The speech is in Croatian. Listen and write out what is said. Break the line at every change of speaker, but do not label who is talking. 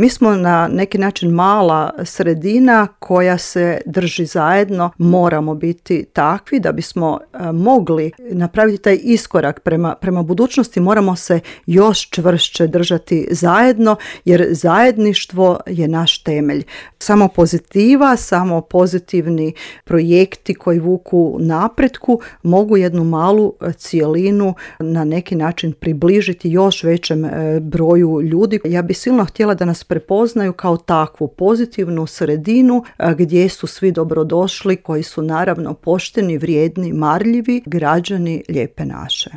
Mi smo na neki način mala sredina koja se drži zajedno. Moramo biti takvi da bismo mogli napraviti taj iskorak prema budućnosti. Moramo se još čvršće držati zajedno, jer zajedništvo je naš temelj. Samo pozitiva, samo pozitivni projekti koji vuku napretku mogu jednu malu cijelinu na neki način približiti još većem broju ljudi. Ja bih silno htjela da nas prepoznaju kao takvu pozitivnu sredinu gdje su svi dobrodošli, koji su naravno pošteni, vrijedni, marljivi građani Lijepe naše.